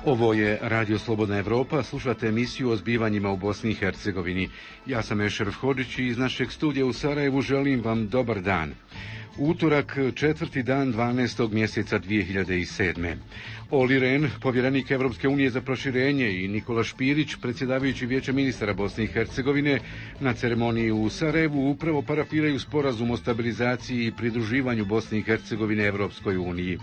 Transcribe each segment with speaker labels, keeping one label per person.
Speaker 1: Ovo je Radio Slobodna Evropa, slušate emisiju o zbivanjima u Bosni i Hercegovini. Ja sam Ešeref Hodžić i iz našeg studija u Sarajevu želim vam dobar dan. Utorak, 4. dan 12. mjeseca 2007. Olli Rehn, povjerenik Evropske unije za proširenje, i Nikola Špirić, predsjedavajući Vijeća ministara Bosne i Hercegovine, na ceremoniji u Sarajevu upravo parafiraju sporazum o stabilizaciji i pridruživanju Bosne i Hercegovine Evropskoj uniji.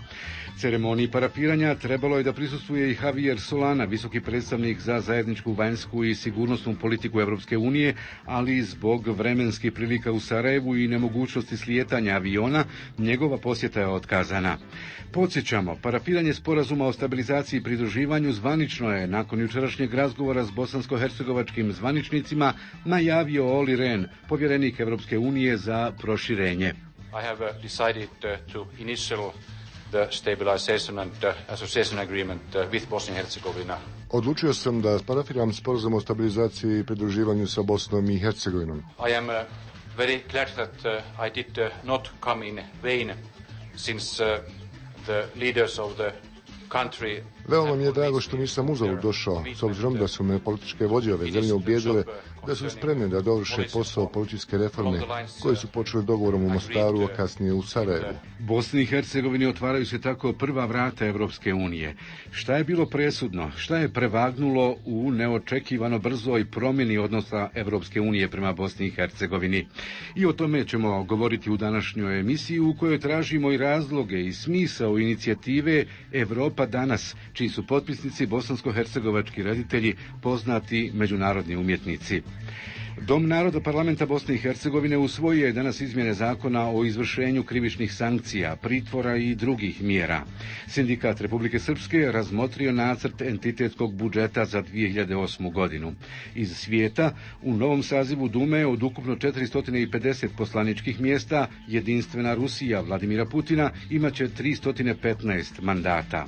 Speaker 1: Ceremoniji parafiranja trebalo je da prisustvuje i Javier Solana, visoki predstavnik za zajedničku vanjsku i sigurnosnu politiku Evropske unije, ali zbog vremenskih prilika u Sarajevu i nemogućnosti slijetanja aviona, njegova posjeta je otkazana. Podsjećamo, parafiranje sporazuma o stabilizaciji i pridruživanju zvanično je, nakon jučerašnjeg razgovora s bosansko-hercegovačkim zvaničnicima, najavio Olli Rehn, povjerenik Evropske unije za proširenje.
Speaker 2: I have decided to initial the stabilization and association agreement with Bosnia and Herzegovina.
Speaker 3: Odlučio sam da parafiram sporazum o stabilizaciji i pridruživanju sa Bosnom i Hercegovinom.
Speaker 2: I am very glad that I did not come in vain, since the leaders of the country.
Speaker 3: Veoma mi je drago što nisam uzalud došao, s obzirom da su me političke vođe ove zemlje ubijedile da su spremne da dovrše posao policijske reforme koje su počele dogovorom u Mostaru, a kasnije u Sarajevu.
Speaker 1: Bosni i Hercegovini otvaraju se tako prva vrata Evropske unije. Šta je bilo presudno? Šta je prevagnulo u neočekivano brzoj promjeni odnosa Evropske unije prema Bosni i Hercegovini? I o tome ćemo govoriti u današnjoj emisiji, u kojoj tražimo i razloge i smisao inicijative Evropa danas, čiji su potpisnici bosansko-hercegovački reditelji, poznati međunarodni umjetnici. Dom naroda Parlamenta Bosne i Hercegovine usvojio je danas izmjene zakona o izvršenju krivičnih sankcija, pritvora i drugih mjera. Sindikat Republike Srpske razmotrio nacrt entitetskog budžeta za 2008. godinu. Iz svijeta, u novom sazivu Dume od ukupno 450 poslaničkih mjesta, jedinstvena Rusija Vladimira Putina imaće 315 mandata.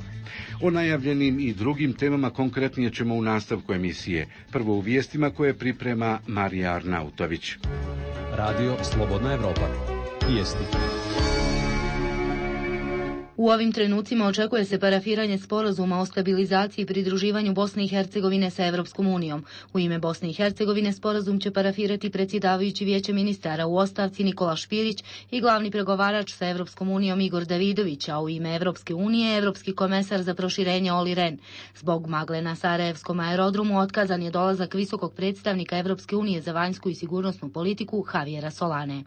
Speaker 1: O najavljenim i drugim temama konkretnije ćemo u nastavku emisije. Prvo u vijestima koje priprema Marija Arnautović.
Speaker 4: Radio Slobodna Evropa. Vijesti.
Speaker 5: U ovim trenucima očekuje se parafiranje sporazuma o stabilizaciji i pridruživanju Bosne i Hercegovine sa Evropskom unijom. U ime Bosne i Hercegovine sporazum će parafirati predsjedavajući Vijeće ministara u ostavci Nikola Špirić i glavni pregovarač sa Evropskom unijom Igor Davidović, a u ime Evropske unije evropski komesar za proširenje Olli Rehn. Zbog magle na sarajevskom aerodromu otkazan je dolazak visokog predstavnika Evropske unije za vanjsku i sigurnosnu politiku Javiera Solane.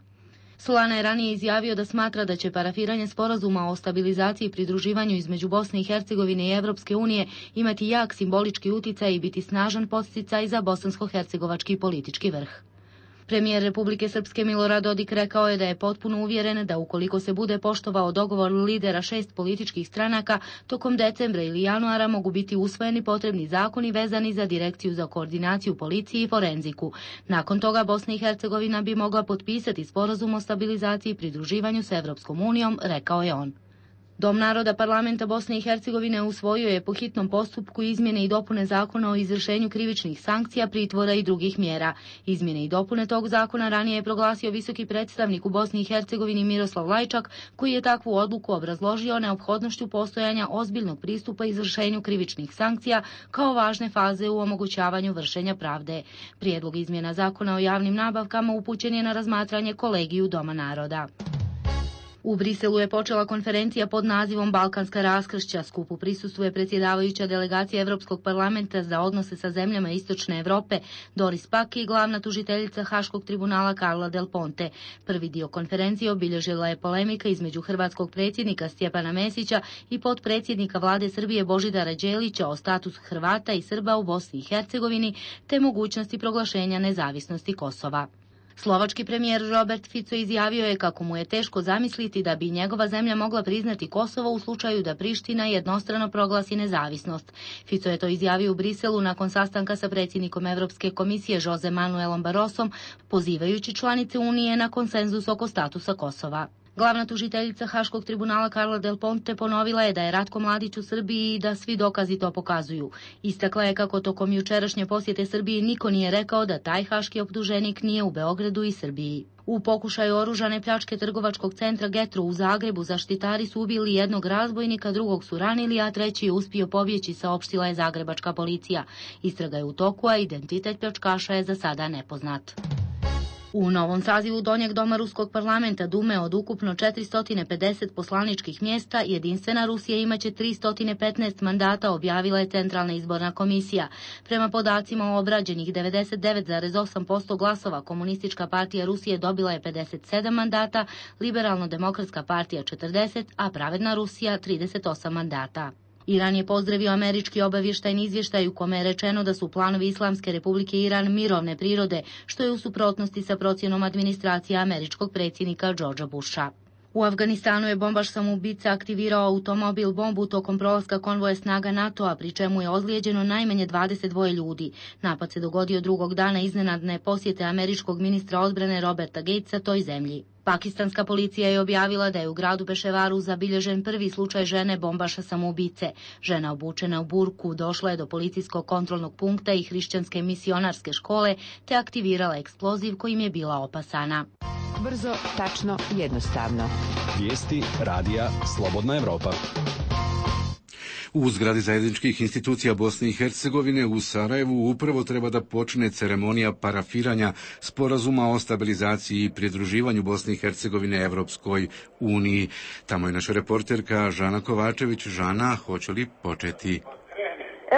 Speaker 5: Solana je ranije izjavio da smatra da će parafiranje sporazuma o stabilizaciji i pridruživanju između Bosne i Hercegovine i Evropske unije imati jak simbolički uticaj i biti snažan podsticaj za bosansko-hercegovački politički vrh. Premijer Republike Srpske Milorad Dodik rekao je da je potpuno uvjeren da ukoliko se bude poštovao dogovor lidera 6 političkih stranaka, tokom decembra ili januara mogu biti usvojeni potrebni zakoni vezani za Direkciju za koordinaciju policije i forenziku. Nakon toga Bosna i Hercegovina bi mogla potpisati sporazum o stabilizaciji i pridruživanju s Evropskom unijom, rekao je on. Dom naroda Parlamenta Bosne i Hercegovine usvojio je po hitnom postupku izmjene i dopune zakona o izvršenju krivičnih sankcija, pritvora i drugih mjera. Izmjene i dopune tog zakona ranije je proglasio visoki predstavnik u Bosni i Hercegovini Miroslav Lajčak, koji je takvu odluku obrazložio neophodnošću postojanja ozbiljnog pristupa izvršenju krivičnih sankcija kao važne faze u omogućavanju vršenja pravde. Prijedlog izmjena zakona o javnim nabavkama upućen je na razmatranje kolegiju Doma naroda. U Briselu je počela konferencija pod nazivom Balkanska raskršća. Skupu prisustvuje predsjedavajuća delegacija Evropskog parlamenta za odnose sa zemljama Istočne Evrope Doris Pack i glavna tužiteljica Haškog tribunala Carla Del Ponte. Prvi dio konferencije obilježila je polemika između hrvatskog predsjednika Stjepana Mesića i potpredsjednika vlade Srbije Božidara Đelića o statusu Hrvata i Srba u Bosni i Hercegovini te mogućnosti proglašenja nezavisnosti Kosova. Slovački premijer Robert Fico izjavio je kako mu je teško zamisliti da bi njegova zemlja mogla priznati Kosovo u slučaju da Priština jednostrano proglasi nezavisnost. Fico je to izjavio u Briselu nakon sastanka sa predsjednikom Evropske komisije Jose Manuelom Barrosom, pozivajući članice Unije na konsenzus oko statusa Kosova. Glavna tužiteljica Haškog tribunala Carla Del Ponte ponovila je da je Ratko Mladić u Srbiji i da svi dokazi to pokazuju. Istakla je kako tokom jučerašnje posjete Srbiji niko nije rekao da taj haški optuženik nije u Beogradu i Srbiji. U pokušaju oružane pljačke trgovačkog centra Getro u Zagrebu zaštitari su ubili jednog razbojnika, drugog su ranili, a treći je uspio pobjeći, saopštila je zagrebačka policija. Istraga je u toku, a identitet pljačkaša je za sada nepoznat. U novom sazivu Donjeg doma Ruskog parlamenta Dume od ukupno 450 poslaničkih mjesta, Jedinstvena Rusija imaće 315 mandata, objavila je Centralna izborna komisija. Prema podacima o obrađenih 99,8% glasova, Komunistička partija Rusije dobila je 57 mandata, Liberalno-demokratska partija 40, a Pravedna Rusija 38 mandata. Iran je pozdravio američki obavještajni izvještaj u kome je rečeno da su planovi Islamske republike Iran mirovne prirode, što je u suprotnosti sa procjenom administracije američkog predsjednika Georgea Busha. U Afganistanu je bombaš samoubica aktivirao automobil bombu tokom prolaska konvoja snaga NATO-a, pri čemu je ozlijeđeno najmanje 22 ljudi. Napad se dogodio drugog dana iznenadne posjete američkog ministra odbrane Roberta Gatesa toj zemlji. Pakistanska policija je objavila da je u gradu Peševaru zabilježen prvi slučaj žene bombaša samoubice. Žena obučena u burku došla je do policijskog kontrolnog punkta i hrišćanske misionarske škole te aktivirala eksploziv kojim je bila opasana.
Speaker 6: Brzo, tačno, jednostavno.
Speaker 4: Vijesti radija Slobodna Evropa.
Speaker 1: U zgradi zajedničkih institucija Bosne i Hercegovine u Sarajevu upravo treba da počne ceremonija parafiranja sporazuma o stabilizaciji i pridruživanju Bosne i Hercegovine Evropskoj uniji. Tamo je naša reporterka Žana Kovačević. Žana, hoće li početi?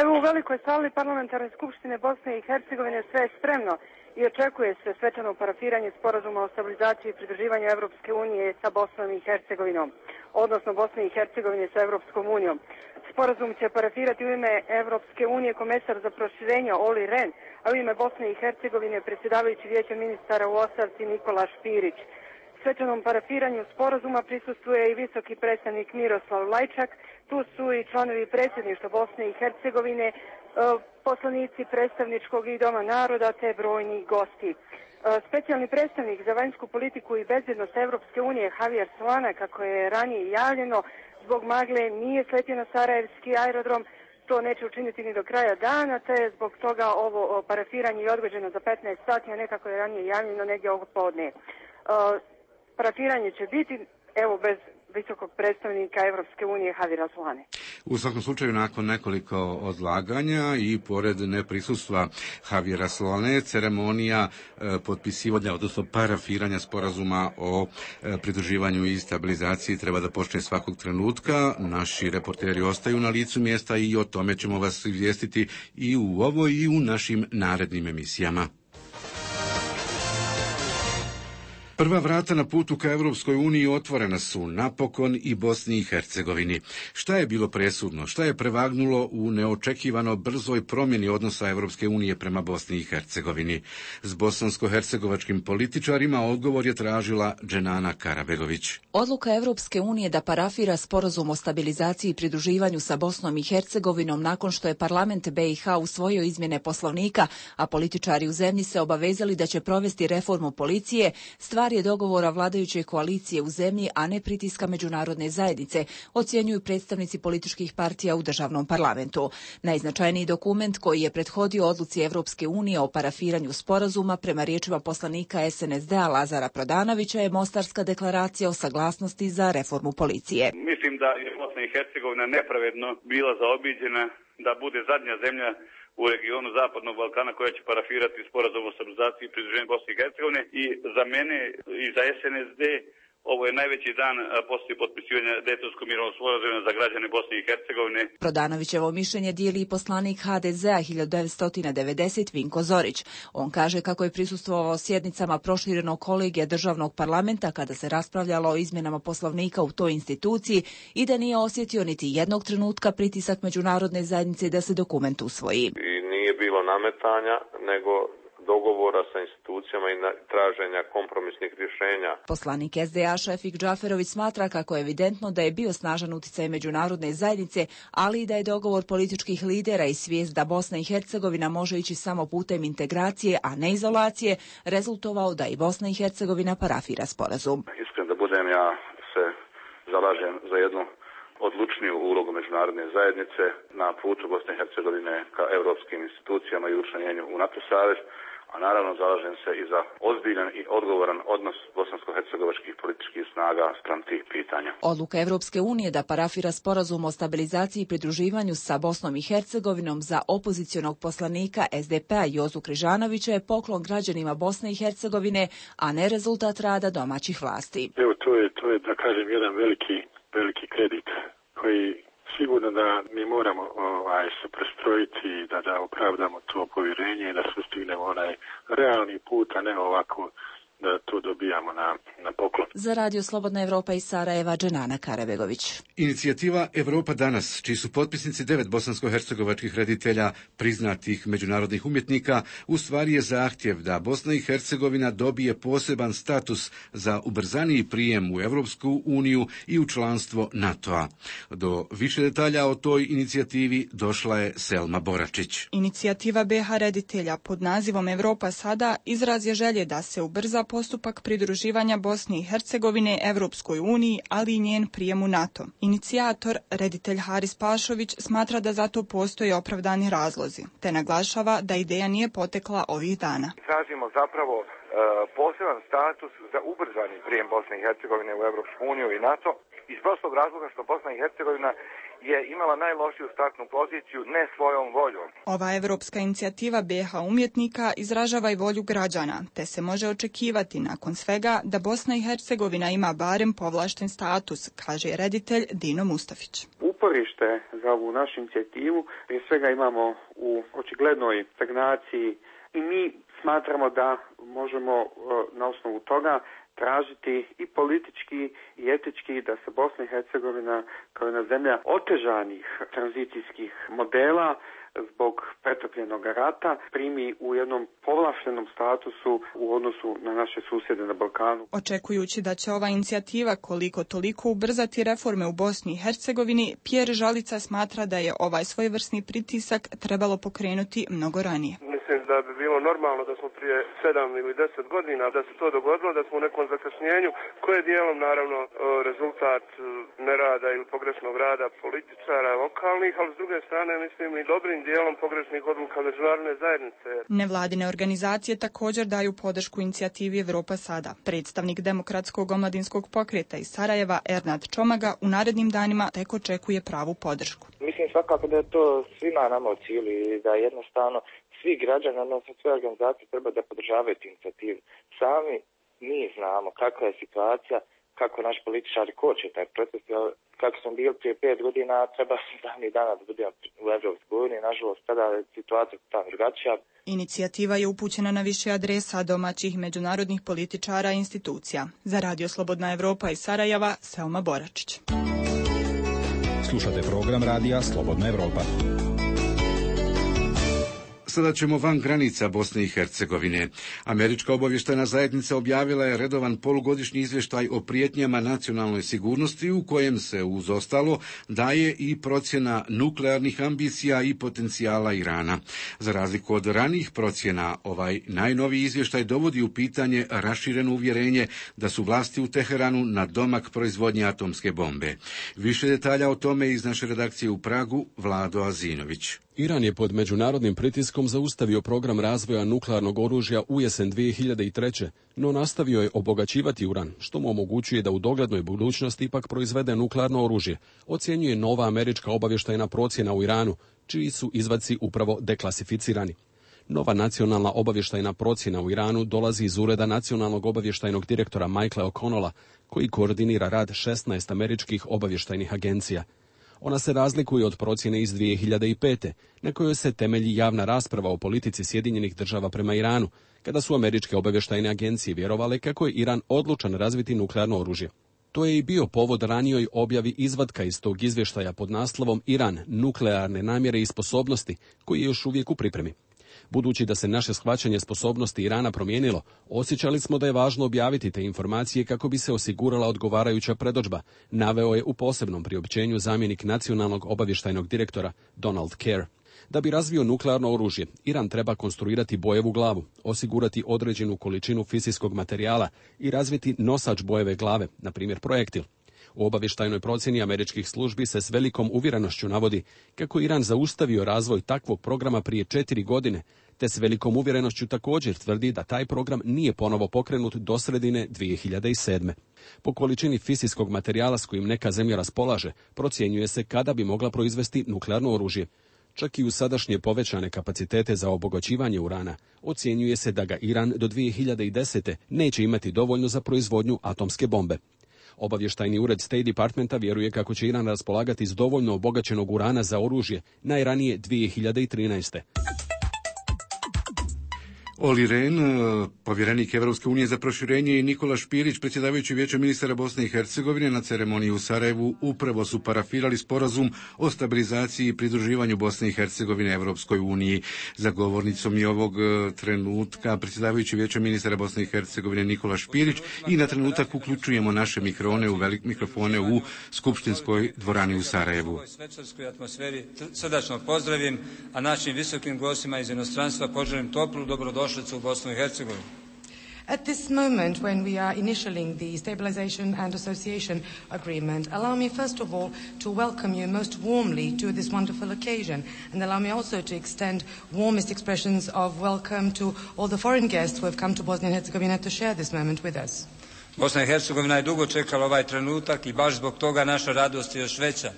Speaker 7: Evo, u velikoj sali Parlamentarne skupštine Bosne i Hercegovine sve je spremno i očekuje se svečano parafiranje sporazuma o stabilizaciji i pridruživanju Evropske unije sa Bosnom i Hercegovinom, odnosno Bosne i Hercegovine sa Evropskom unijom. Sporazum će parafirati u ime Evropske unije komesar za proširenje Oli Rehn, a u ime Bosne i Hercegovine predsjedavajući Vijeća ministara u ostavci Nikola Špirić. Svečanom parafiranju sporazuma prisustvuje i visoki predstavnik Miroslav Lajčak, tu su i članovi predsjedništva Bosne i Hercegovine, poslanici predstavničkog i Doma naroda te brojni gosti. Specijalni predstavnik za vanjsku politiku i bezbjednost Evropske unije Javier Solana, kako je ranije javljeno, zbog magle nije sletio na sarajevski aerodrom, to neće učiniti ni do kraja dana, te je zbog toga ovo parafiranje je odgođeno za 15 sati, a nekako je ranije javljeno negdje ovog podne. Parafiranje će biti, evo, bez visokog predstavnika Evropske unije Javiera Solane.
Speaker 1: U svakom slučaju, nakon nekoliko odlaganja i pored neprisustva Javiera Solane, ceremonija potpisivanja, odnosno parafiranja sporazuma o pridruživanju i stabilizaciji treba da počne svakog trenutka. Naši reporteri ostaju na licu mjesta i o tome ćemo vas izvijestiti i u ovoj i u našim narednim emisijama. Prva vrata na putu ka Evropskoj uniji otvorena su napokon i Bosni i Hercegovini. Šta je bilo presudno? Šta je prevagnulo u neočekivano brzoj promjeni odnosa Evropske unije prema Bosni i Hercegovini? S bosansko-hercegovačkim političarima odgovor je tražila Dženana Karabegović.
Speaker 6: Odluka Evropske unije da parafira sporazum o stabilizaciji i pridruživanju sa Bosnom i Hercegovinom nakon što je parlament BiH usvojio izmjene poslovnika, a političari u zemlji se obavezali da će provesti reformu policije, stvar je dogovora vladajuće koalicije u zemlji, a ne pritiska međunarodne zajednice, ocjenjuju predstavnici političkih partija u državnom parlamentu. Najznačajniji dokument koji je prethodio odluci Evropske unije o parafiranju sporazuma, prema riječima poslanika SNSD-a Lazara Prodanovića, je Mostarska deklaracija o saglasnosti za reformu policije.
Speaker 8: Mislim da je Bosna i Hercegovina nepravedno bila zaobiđena da bude zadnja zemlja u regionu Zapadnog Balkana koja će parafirati sporazum o stabilizaciji i pridruživanju Bosne i Hercegovine, i za mene i za SNSD ovo je najveći dan poslije potpisivanja Dejtonskog mirovnog sporazuma za građane Bosne i Hercegovine.
Speaker 6: Prodanovićevo mišljenje dijeli i poslanik HDZ-a 1990 Vinko Zorić. On kaže kako je prisustvovao sjednicama proširenog kolegija državnog parlamenta kada se raspravljalo o izmjenama poslovnika u toj instituciji i da nije osjetio niti jednog trenutka pritisak međunarodne zajednice da se dokument usvoji.
Speaker 9: I nije bilo nametanja, nego dogovora sa institucijama i traženja kompromisnih rješenja.
Speaker 6: Poslanik SDA Šefik Džaferović smatra kako je evidentno da je bio snažan utjecaj međunarodne zajednice, ali i da je dogovor političkih lidera i svijest da Bosna i Hercegovina može ići samo putem integracije, a ne izolacije, rezultovao da i Bosna i Hercegovina parafira sporazum.
Speaker 9: Iskren da budem, ja zalažem za jednu odlučniju ulogu međunarodne zajednice na putu Bosne i Hercegovine ka europskim institucijama i učlanjenju u NATO savez, a naravno zalažem se i za ozbiljan i odgovoran odnos bosansko-hercegovačkih političkih snaga spram tih pitanja.
Speaker 6: Odluka Evropske unije da parafira sporazum o stabilizaciji i pridruživanju sa Bosnom i Hercegovinom za opozicionog poslanika SDP-a Jozu Križanovića je poklon građanima Bosne i Hercegovine, a ne rezultat rada domaćih vlasti.
Speaker 10: Evo, to je da kažem jedan veliki kredit koji sigurno da mi moramo se prestrojiti da opravdamo to povjerenje i da sustignemo onaj realni put, a ne ovako da to dobijamo na poklon.
Speaker 6: Za Radio Slobodna Evropa iz Sarajeva, Dženana Karabegović.
Speaker 1: Inicijativa Evropa danas, čiji su potpisnici 9 bosansko-hercegovačkih reditelja priznatih međunarodnih umjetnika, u stvari je zahtjev da Bosna i Hercegovina dobije poseban status za ubrzaniji prijem u Evropsku uniju i u članstvo NATO-a. Do više detalja o toj inicijativi došla je Selma Boračić.
Speaker 11: Inicijativa BiH reditelja pod nazivom Evropa sada izraz je želje da se ubrza postupak pridruživanja Bosne i Hercegovine Evropskoj uniji, ali i njen prijem u NATO. Inicijator, reditelj Haris Pašović, smatra da za to postoje opravdani razlozi, te naglašava da ideja nije potekla ovih dana.
Speaker 12: Tražimo zapravo poseban status za ubrzani prijem Bosne i Hercegovine u Evropsku uniju i NATO iz prostog razloga što Bosna i Hercegovina je imala najlošiju startnu poziciju ne svojom voljom.
Speaker 11: Ova evropska inicijativa BiH umjetnika izražava i volju građana, te se može očekivati nakon svega da Bosna i Hercegovina ima barem povlašten status, kaže reditelj Dino Mustafić.
Speaker 13: Uporište za ovu našu inicijativu prije svega imamo u očiglednoj stagnaciji i mi smatramo da možemo na osnovu toga tražiti i politički i etički da se Bosna i Hercegovina kao jedna zemlja otežanih tranzicijskih modela zbog pretopljenog rata primi u jednom povlaštenom statusu u odnosu na naše susjede na Balkanu.
Speaker 11: Očekujući da će ova inicijativa koliko toliko ubrzati reforme u Bosni i Hercegovini, Pjer Žalica smatra da je ovaj svojevrsni pritisak trebalo pokrenuti mnogo ranije.
Speaker 14: Mislim da bi bilo normalno da smo prije 7 ili 10 godina da se to dogodilo, da smo u nekom zakašnjenju koje je dijelom naravno rezultat nerada ili pogrešnog rada političara lokalnih, ali s druge strane mislim i dobrim dijelom pogrešnih odluka međunarodne zajednice.
Speaker 11: Nevladine organizacije također daju podršku inicijativi Evropa sada. Predstavnik Demokratskog omladinskog pokreta iz Sarajeva Ernad Čomaga u narednim danima tek očekuje pravu podršku.
Speaker 15: Mislim svakako da je to svima nama u cilju i da jednostavno svi građani, odnosno sve organizacije treba da podržavaju tu inicijativu. Sami mi znamo kakva je situacija, kako naši političari koče taj proces, kako smo bili prije 5 godina, treba davnih dana da budemo u Evropskoj uniji, nažalost tada je situacija tamo drugačija.
Speaker 11: Inicijativa je upućena na više adresa domaćih međunarodnih političara i institucija. Za Radio Slobodna Evropa iz Sarajeva, Selma Boračić.
Speaker 4: Slušate program Radija Slobodna Evropa.
Speaker 1: Sada ćemo van granica Bosne i Hercegovine. Američka obavještajna zajednica objavila je redovan polugodišnji izvještaj o prijetnjama nacionalnoj sigurnosti u kojem se uz ostalo daje i procjena nuklearnih ambicija i potencijala Irana. Za razliku od ranijih procjena, ovaj najnoviji izvještaj dovodi u pitanje rašireno uvjerenje da su vlasti u Teheranu na domak proizvodnje atomske bombe. Više detalja o tome iz naše redakcije u Pragu, Vlado Azinović.
Speaker 16: Iran je pod međunarodnim pritiskom zaustavio program razvoja nuklearnog oružja u jesen 2003. no nastavio je obogaćivati uran, što mu omogućuje da u doglednoj budućnosti ipak proizvede nuklearno oružje, ocjenjuje nova američka obavještajna procjena u Iranu, čiji su izvaci upravo deklasificirani. Nova nacionalna obavještajna procjena u Iranu dolazi iz ureda nacionalnog obavještajnog direktora Michaela O'Connella, koji koordinira rad 16 američkih obavještajnih agencija. Ona se razlikuje od procjene iz 2005. na kojoj se temelji javna rasprava o politici Sjedinjenih država prema Iranu, kada su američke obavještajne agencije vjerovale kako je Iran odlučan razviti nuklearno oružje. To je i bio povod ranijoj objavi izvatka iz tog izvještaja pod naslovom Iran, nuklearne namjere i sposobnosti, koji je još uvijek u pripremi. Budući da se naše shvaćanje sposobnosti Irana promijenilo, osjećali smo da je važno objaviti te informacije kako bi se osigurala odgovarajuća predodžba, naveo je u posebnom priopćenju zamjenik nacionalnog obavještajnog direktora Donald Kerr. Da bi razvio nuklearno oružje, Iran treba konstruirati bojevu glavu, osigurati određenu količinu fizijskog materijala i razviti nosač bojeve glave, na primjer projektil. U obavještajnoj procjeni američkih službi se s velikom uvjerenošću navodi kako Iran zaustavio razvoj takvog programa prije 4 godine, te s velikom uvjerenošću također tvrdi da taj program nije ponovo pokrenut do sredine 2007. Po količini fizijskog materijala s kojim neka zemlja raspolaže, procjenjuje se kada bi mogla proizvesti nuklearno oružje. Čak i u sadašnje povećane kapacitete za obogaćivanje urana, ocjenjuje se da ga Iran do 2010. neće imati dovoljno za proizvodnju atomske bombe. Obavještajni ured State Departmenta vjeruje kako će Iran raspolagati s dovoljno obogaćenog urana za oružje najranije 2013.
Speaker 1: Olli Rehn, povjerenik Evropske unije za proširenje, i Nikola Špirić, predsjedavajući Vijećem ministara Bosne i Hercegovine, na ceremoniji u Sarajevu upravo su parafirali sporazum o stabilizaciji i pridruživanju Bosne i Hercegovine Evropskoj uniji. Za govornicom je ovog trenutka predsjedavajući Vijećem ministara Bosne i Hercegovine Nikola Špirić i na trenutak uključujemo naše mikrofone u skupštinskoj dvorani u Sarajevu.
Speaker 17: U ovoj svečarskoj atmosferi srdačno pozdravim, a našim visokim gostima iz inostranstva poželim toplu dobrodošlicu u Bosnu i Hercegovinu.
Speaker 18: At this moment, when we are initialing the Stabilization and Association Agreement, allow me first of all to welcome you most warmly to this wonderful occasion, and allow me also to extend warmest expressions of welcome to all the foreign guests who have come to Bosnia and Herzegovina to share this moment with us.
Speaker 17: Bosna i Hercegovina je dugo čekala ovaj trenutak i baš zbog toga naša radost je još veća.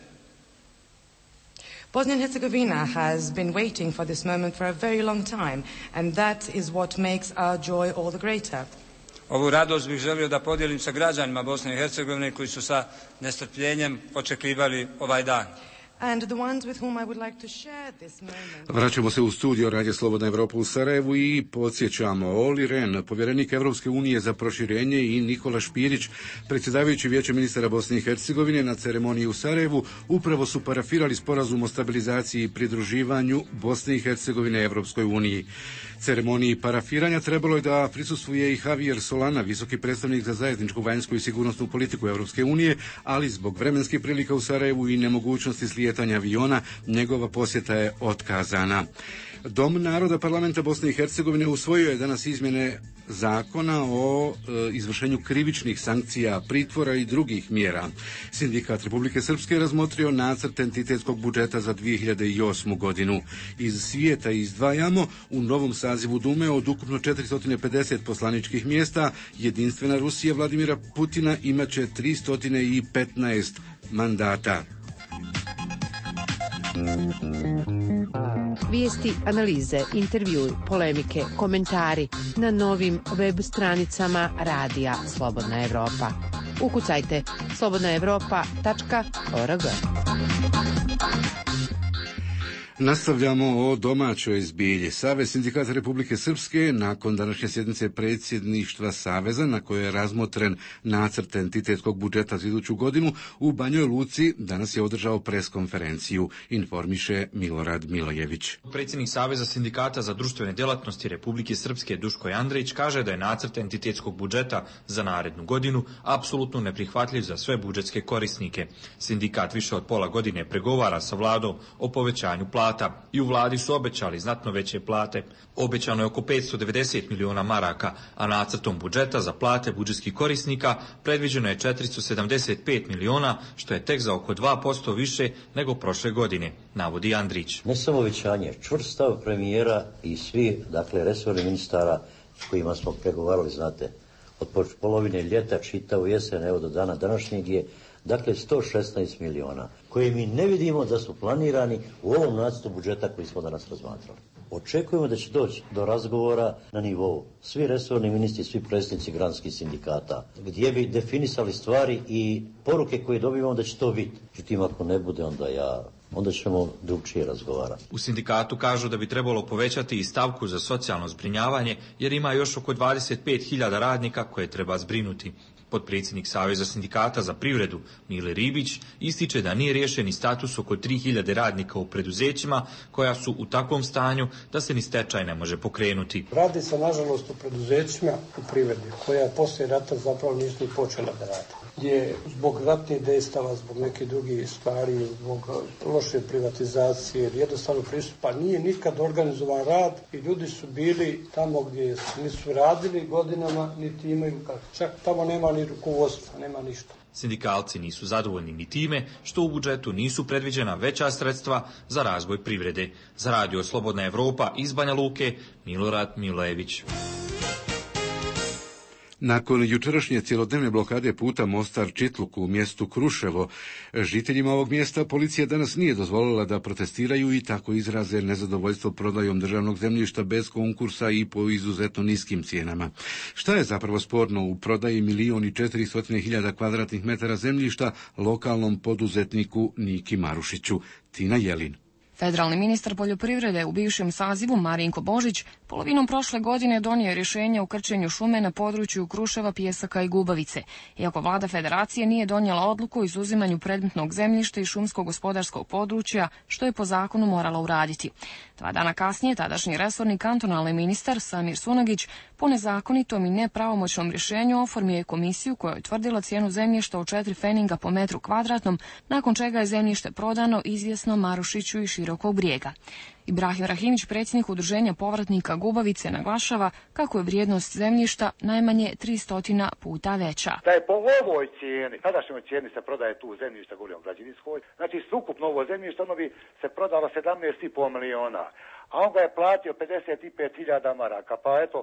Speaker 18: Bosnia and Herzegovina has been waiting for this moment for a very long time, and that is what makes our joy all the greater.
Speaker 17: Ovu radost bih želio da podijelim sa građanima Bosne i Hercegovine koji su sa nestrpljenjem očekivali ovaj dan.
Speaker 18: And the ones with whom I would like to share this moment.
Speaker 1: Vraćamo se u studio Radija Slobodna Evropa u Sarajevu i podsjećamo, Olli Rehn, povjerenik Evropske unije za proširenje, i Nikola Špirić, predsjedavajući Vijećem ministara Bosne i Hercegovine, na ceremoniji u Sarajevu upravo su parafirali sporazum o stabilizaciji i pridruživanju Bosne i Hercegovine Evropskoj uniji. Ceremoniji parafiranja trebalo je da prisustvuje i Javier Solana, visoki predstavnik za zajedničku vanjsku i sigurnosnu politiku Evropske unije, ali zbog vremenskih prilika u Sarajevu i nemogućnosti slijetanja aviona, njegova posjeta je otkazana. Dom naroda parlamenta Bosne i Hercegovine usvojio je danas izmjene zakona o izvršenju krivičnih sankcija, pritvora i drugih mjera. Sindikat Republike Srpske razmotrio nacrt entitetskog budžeta za 2008. godinu. Iz svijeta izdvajamo: u novom sazivu Dume od ukupno 450 poslaničkih mjesta, jedinstvena Rusija Vladimira Putina imaće 315 mandata.
Speaker 19: Vijesti, analize, intervjui, polemike, komentari na novim web stranicama Radija Slobodna Evropa. Ukucajte slobodnaevropa.org.
Speaker 1: Nastavljamo o domaćoj zbilji. Savez sindikata Republike Srpske nakon današnje sjednice predsjedništva Saveza, na kojoj je razmotren nacrt entitetskog budžeta za iduću godinu, u Banjoj Luci danas je održao preskonferenciju, informiše Milorad Milojević.
Speaker 20: Predsjednik Saveza sindikata za društvene djelatnosti Republike Srpske Duško Andrić kaže da je nacrt entitetskog budžeta za narednu godinu apsolutno neprihvatljiv za sve budžetske korisnike. Sindikat više od pola godine pregovara sa vladom o povećanju plata. I u vladi su obećali znatno veće plate. Obećano je oko 590 miliona maraka, a nacrtom budžeta za plate budžetskih korisnika predviđeno je 475 miliona, što je tek za oko 2% više nego prošle godine, navodi Andrić.
Speaker 21: Ne samo obećanje, čvrst stav premijera i svi, resorni ministara s kojima smo pregovarali, od polovine ljeta čitavu jesen, evo do dana današnjeg je 116 miliona, koje mi ne vidimo da su planirani u ovom nacrtu budžeta koji smo danas razmatrali. Očekujemo da će doći do razgovora na nivou svi resorni ministri, svi predsjednici granskih sindikata, gdje bi definisali stvari i poruke koje dobivamo da će to biti. Međutim, ako ne bude, onda ćemo drugčije razgovarati.
Speaker 20: U sindikatu kažu da bi trebalo povećati i stavku za socijalno zbrinjavanje, jer ima još oko 25.000 radnika koje treba zbrinuti. Potpredsjednik Saveza sindikata za privredu Mile Ribić ističe da nije riješen i status oko 3.000 radnika u preduzećima koja su u takvom stanju da se ni stečaj ne može pokrenuti.
Speaker 22: Radi se nažalost u preduzećima u privredi koja poslije rata zapravo nisu ni počela da rade. Gdje zbog ratnih dejstava, zbog nekih drugih stvari, zbog prošle privatizacije ili jednostavno pristupa, nije nikad organizovan rad i ljudi su bili tamo gdje nisu radili godinama, niti imaju, čak tamo nema ni rukovodstva, nema ništa.
Speaker 20: Sindikalci nisu zadovoljni ni time što u budžetu nisu predviđena veća sredstva za razvoj privrede. Za Radio Slobodna Evropa iz Banja Luke, Milorad Milojević.
Speaker 1: Nakon jučerašnje cjelodnevne blokade puta Mostar-Čitluk u mjestu Kruševo, žiteljima ovog mjesta policija danas nije dozvolila da protestiraju i tako izraze nezadovoljstvo prodajom državnog zemljišta bez konkursa i po izuzetno niskim cijenama. Šta je zapravo sporno u prodaji 1.400.000 kvadratnih metara zemljišta lokalnom poduzetniku Niki Marušiću? Tina Jelin.
Speaker 2: Federalni ministar poljoprivrede u bivšem sazivu Marinko Božić polovinom prošle godine donio rješenje o krčenju šume na području Kruševa, Pijesaka i Gubavice. Iako vlada federacije nije donijela odluku o izuzimanju predmetnog zemljišta i šumsko-gospodarskog područja, što je po zakonu morala uraditi. 2 dana kasnije tadašnji resorni kantonalni ministar Samir Sunagić po nezakonitom i nepravomoćnom rješenju oformio je komisiju koja je utvrdila cijenu zemljišta od 4 feninga po metru kvadratnom, nakon čega je zemljište prodano izvjesno Marušiću i Širokog Brijega. Ibrahim Rahimić, predsjednik udruženja povratnika Gubavice, naglašava kako je vrijednost zemljišta najmanje 300 puta veća.
Speaker 3: Da je po ovoj cijeni, tadašnjoj cijeni se prodaje tu zemljišta, govorimo o građevinskoj, znači sukupno ovo zemljište, ono bi se prodalo 17,5 miliona, a on ga je platio 55.000 maraka, pa eto,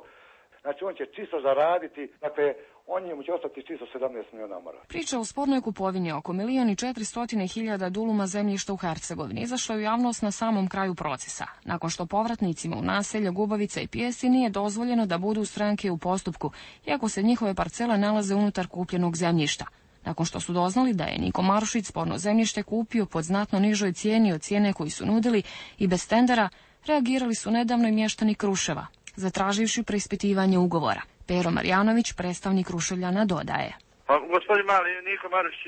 Speaker 3: znači on će čisto zaraditi, dakle, on njemu će ostati čisto 17 miliona maraka.
Speaker 2: Priča o spornoj kupovini oko 1.400.000 duluma zemljišta u Hercegovini izašla je u javnost na samom kraju procesa, nakon što povratnicima u naselje Gubavica i Pijesi nije dozvoljeno da budu stranke u postupku, iako se njihove parcele nalaze unutar kupljenog zemljišta. Nakon što su doznali da je Niko Marušić sporno zemljište kupio pod znatno nižoj cijeni od cijene koju su nudili i bez tendera, reagirali su nedavno i mještani Kruševa, zatraživši preispitivanje ugovora. Pero Marjanović, predstavnik Kruševljana, dodaje.
Speaker 23: Pa, gospodin Mali, Niko Marušić,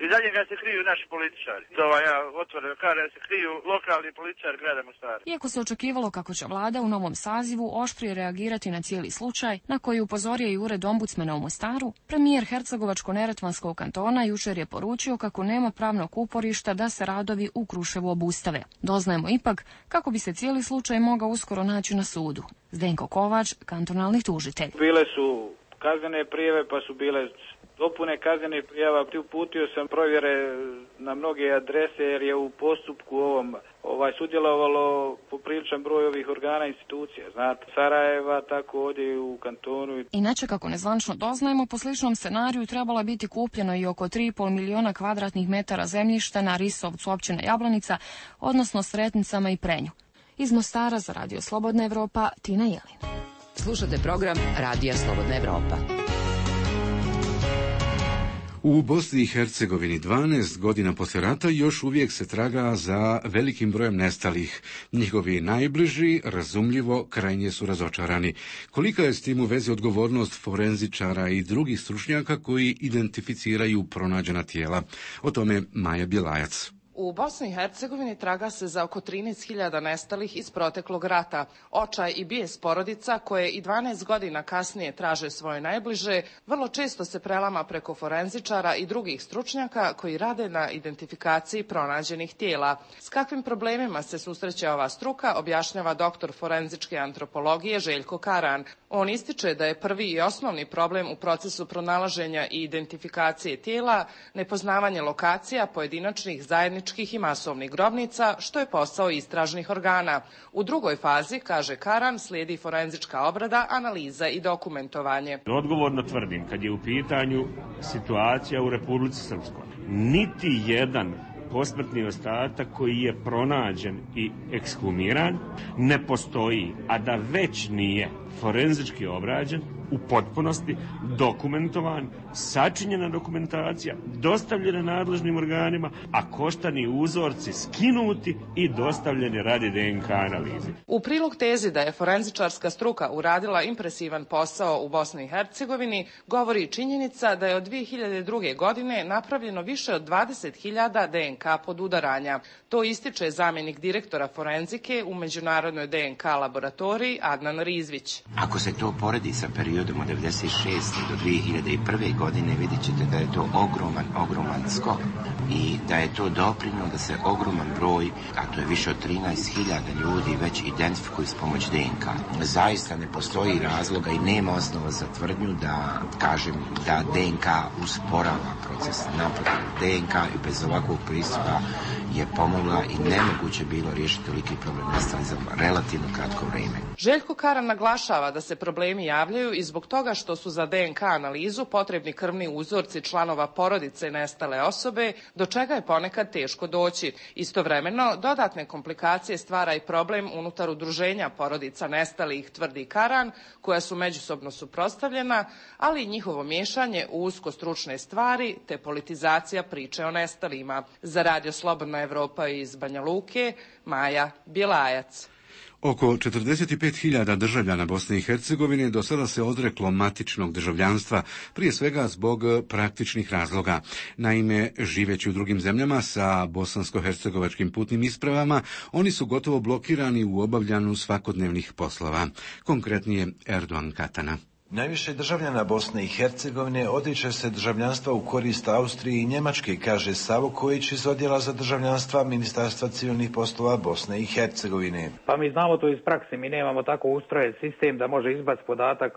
Speaker 23: i za njega se kriju naši političari. To ja otvoreno kažem, se kriju lokalni političari grada Mostara.
Speaker 2: Iako se očekivalo kako će vlada u novom sazivu oštrije reagirati na cijeli slučaj, na koji upozorio i ured ombudsmana u Mostaru, premijer Hercegovačko-Neretvanskog kantona jučer je poručio kako nema pravnog uporišta da se radovi u Kruševu obustave. Doznajemo ipak kako bi se cijeli slučaj mogao uskoro naći na sudu. Zdenko Kovač, kantonalni tužitelj.
Speaker 24: Bile su kaznene prijave, pa su bile dopune kaznenih prijava. Uputio sam provjere na mnoge adrese jer je u postupku ovom sudjelovalo popriličan broj ovih organa i institucija. Znate, Sarajeva, tako ovdje u kantonu.
Speaker 2: Inače, kako nezvanično doznajemo, po sličnom scenariju trebalo biti kupljeno i oko 3,5 miliona kvadratnih metara zemljišta na Risovcu, općina Jablanica, odnosno Sretnicama i Prenju. Iz Mostara za Radio Slobodna Evropa, Tina Jelin.
Speaker 19: Slušate program Radija Slobodna Evropa.
Speaker 1: U Bosni i Hercegovini 12 godina poslije rata još uvijek se traga za velikim brojem nestalih. Njihovi najbliži, razumljivo, krajnje su razočarani. Kolika je s tim u vezi odgovornost forenzičara i drugih stručnjaka koji identificiraju pronađena tijela? O tome Maja Bjelajac.
Speaker 25: U Bosni i Hercegovini traga se za oko 13.000 nestalih iz proteklog rata. Očaj i bijes porodica koje i 12 godina kasnije traže svoje najbliže, vrlo često se prelama preko forenzičara i drugih stručnjaka koji rade na identifikaciji pronađenih tijela. S kakvim problemima se susreće ova struka, objašnjava doktor forenzičke antropologije Željko Karan. On ističe da je prvi i osnovni problem u procesu pronalaženja i identifikacije tijela nepoznavanje lokacija pojedinačnih, zajedničkih i masovnih grobnica, što je posao istražnih organa. U drugoj fazi, kaže Karan, slijedi forenzička obrada, analiza i dokumentovanje.
Speaker 26: Odgovorno tvrdim, kad je u pitanju situacija u Republici Srpskoj, niti jedan posmrtni ostatak koji je pronađen i ekshumiran ne postoji, a da već nije forenzički obrađen, u potpunosti dokumentovan, sačinjena dokumentacija, dostavljena nadležnim organima, a koštani uzorci skinuti i dostavljeni radi DNK analize.
Speaker 25: U prilog tezi da je forenzičarska struka uradila impresivan posao u Bosni i Hercegovini, govori činjenica da je od 2002. godine napravljeno više od 20.000 DNK podudaranja. To ističe zamjenik direktora forenzike u Međunarodnoj DNK laboratoriji Adnan Rizvić.
Speaker 27: Ako se to poredi sa periodom
Speaker 5: periodom od 1996. do 2001. godine vidjet ćete da je to ogroman skok i da je to doprinio da se ogroman broj, a to je više od 13.000 ljudi, već identifikuju s pomoć DNK. Zaista ne postoji razloga i nema osnova za tvrdnju da kažem da DNK usporava proces. Naprotiv, DNK i bez ovakvog pristupa je pomogla i nemoguće bilo riješiti toliki problem nestalih za relativno kratko vrijeme.
Speaker 25: Željko Karan naglašava da se problemi javljaju i zbog toga što su za DNK analizu potrebni krvni uzorci članova porodice nestale osobe, do čega je ponekad teško doći. Istovremeno, dodatne komplikacije stvara i problem unutar udruženja porodica nestalih, tvrdi Karan, koja su međusobno suprotstavljena, ali i njihovo miješanje u usko stručne stvari te politizacija priče o nestalima. Za Radio Slobodna Evropa iz Banja Luke, Maja Bjelajac.
Speaker 1: Oko 45.000 državljana Bosne i Hercegovine do sada se odreklo matičnog državljanstva, prije svega zbog praktičnih razloga. Naime, živeći u drugim zemljama sa bosansko-hercegovačkim putnim ispravama, oni su gotovo blokirani u obavljanju svakodnevnih poslova. Konkretnije Erdogan Katana.
Speaker 6: Najviše državljana Bosne i Hercegovine odriče se državljanstva u korist Austrije i Njemačke, kaže Savo Kojić iz odjela za državljanstva Ministarstva civilnih poslova Bosne i Hercegovine.
Speaker 24: Pa mi znamo to iz prakse, mi nemamo tako ustrojen sistem da može izbaciti podatak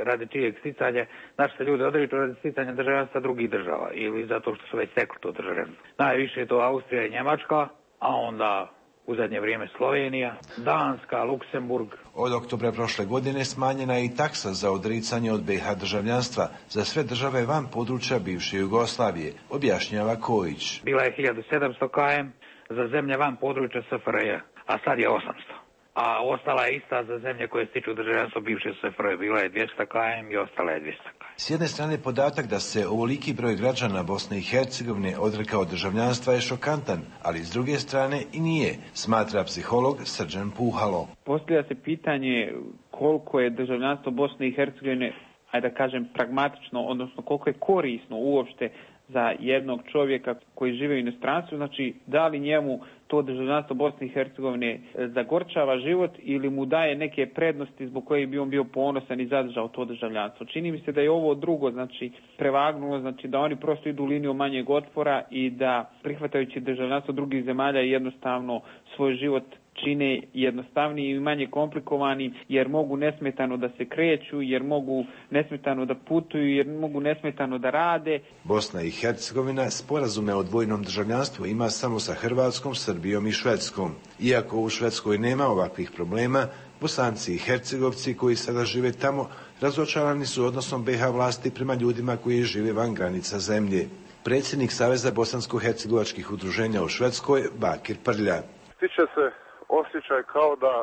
Speaker 24: radi čijeg sticanja. Naši se ljudi odriču radi sticanja državljanstva drugih država ili zato što su već stekli to državljanstvo. Najviše je to Austrija i Njemačka, a onda u zadnje vrijeme Slovenija, Danska, Luksemburg.
Speaker 6: Od oktobra prošle godine smanjena je i taksa za odricanje od BiH državljanstva za sve države van područja bivše Jugoslavije, objašnjava Kojić.
Speaker 24: Bila je 1700 km za zemlje van područja SFRJ, a sad je 800. A ostala je ista za zemlje koje stiču državljanstvo bivše SFRJ. Bila je 200 km i ostala je 200 km.
Speaker 6: S jedne strane podatak da se ovoliki broj građana Bosne i Hercegovine odrekao državljanstva je šokantan, ali s druge strane i nije, smatra psiholog Srđan Puhalo.
Speaker 24: Postavlja se pitanje koliko je državljanstvo Bosne i Hercegovine, ajde da kažem, pragmatično, odnosno koliko je korisno uopšte za jednog čovjeka koji žive u inostranstvu, znači da li njemu to državljanstvo Bosne i Hercegovine zagorčava život ili mu daje neke prednosti zbog kojih bi on bio ponosan i zadržao to državljanstvo. Čini mi se da je ovo drugo, znači prevagnulo, znači da oni prosto idu liniju manjeg otpora i da prihvatajući državljanstvo drugih zemalja jednostavno svoj život čine jednostavniji i manje komplikovani, jer mogu nesmetano da se kreću, jer mogu nesmetano da putuju, jer mogu nesmetano da rade.
Speaker 6: Bosna i Hercegovina sporazume o dvojnom državljanstvu ima samo sa Hrvatskom, Srbijom i Švedskom. Iako u Švedskoj nema ovakvih problema, Bosanci i Hercegovci koji sada žive tamo razočarani su odnosom BiH vlasti prema ljudima koji žive van granica zemlje. Predsjednik Saveza bosansko-hercegovačkih udruženja u Švedskoj, Bakir Prlja.
Speaker 7: Stiče se osjećaj kao da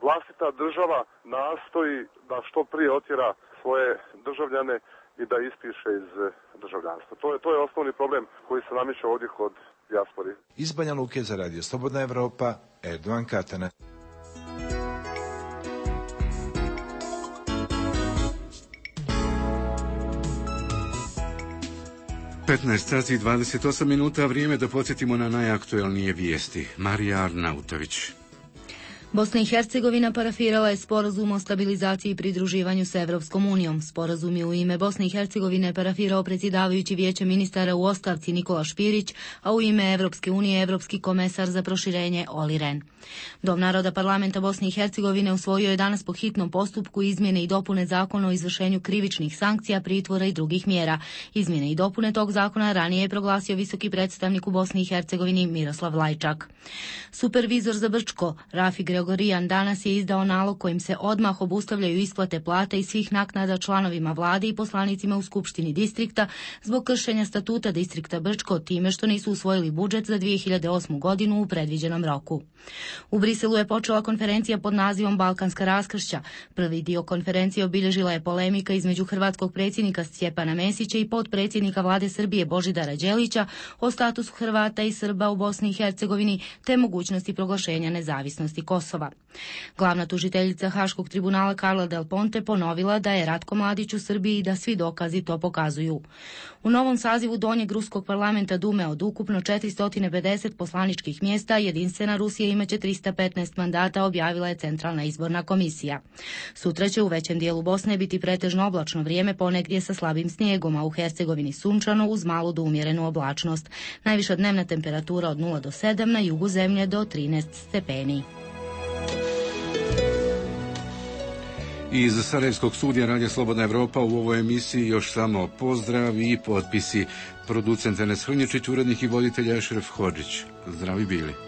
Speaker 7: vlastita država nastoji da što prije otjera svoje državljane i da ispiše iz državljanstva. To je osnovni problem koji se nameće ovdje kod dijaspori.
Speaker 6: Iz Banja Luke za Radio Slobodna Evropa, Erdogan Katana.
Speaker 1: sati i 28 minuta, vrijeme da podsjetimo na najaktuelnije vijesti. Marija Arnautović.
Speaker 8: Bosna i Hercegovina parafirala je sporazum o stabilizaciji i pridruživanju sa Evropskom unijom. Sporazum je u ime Bosne i Hercegovine parafirao predsjedavajući Vijeće ministara u ostavci Nikola Špirić, a u ime Evropske unije Evropski komesar za proširenje Olli Rehn. Dom naroda parlamenta Bosne i Hercegovine usvojio je danas po hitnom postupku izmjene i dopune zakona o izvršenju krivičnih sankcija, pritvora i drugih mjera. Izmjene i dopune tog zakona ranije je proglasio visoki predstavnik u Bosni i Hercegovini Miroslav Lajčak. Supervizor za Brčko, Rafi Gregorijan, danas je izdao nalog kojim se odmah obustavljaju isplate plata i svih naknada članovima vlade i poslanicima u Skupštini distrikta zbog kršenja statuta distrikta Brčko time što nisu usvojili budžet za 2008. godinu u predviđenom roku. U Briselu je počela konferencija pod nazivom Balkanska raskršća. Prvi dio konferencije obilježila je polemika između hrvatskog predsjednika Stjepana Mesića i potpredsjednika vlade Srbije Božidara Đelića o statusu Hrvata i Srba u Bosni i Hercegovini te mogućnosti proglašenja nezavisnosti Kosova. Kosova. Glavna tužiteljica Haškog tribunala Carla Del Ponte ponovila da je Ratko Mladić u Srbiji i da svi dokazi to pokazuju. U novom sazivu Donjeg ruskog parlamenta Dume od ukupno 450 poslaničkih mjesta jedinstvena Rusija imaće 315 mandata, objavila je Centralna izborna komisija. Sutra će u većem dijelu Bosne biti pretežno oblačno vrijeme, ponegdje sa slabim snijegom, a u Hercegovini sunčano uz malu do umjerenu oblačnost. Najviša dnevna temperatura od 0 do 7, na jugu zemlje do 13 stepeni.
Speaker 1: Iz Sarajevskog studija Radija Slobodna Evropa u ovoj emisiji još samo pozdrav i potpisi. Producent Enes Hrnječić, urednik i voditelj Ešref Hodžić. Zdravi bili.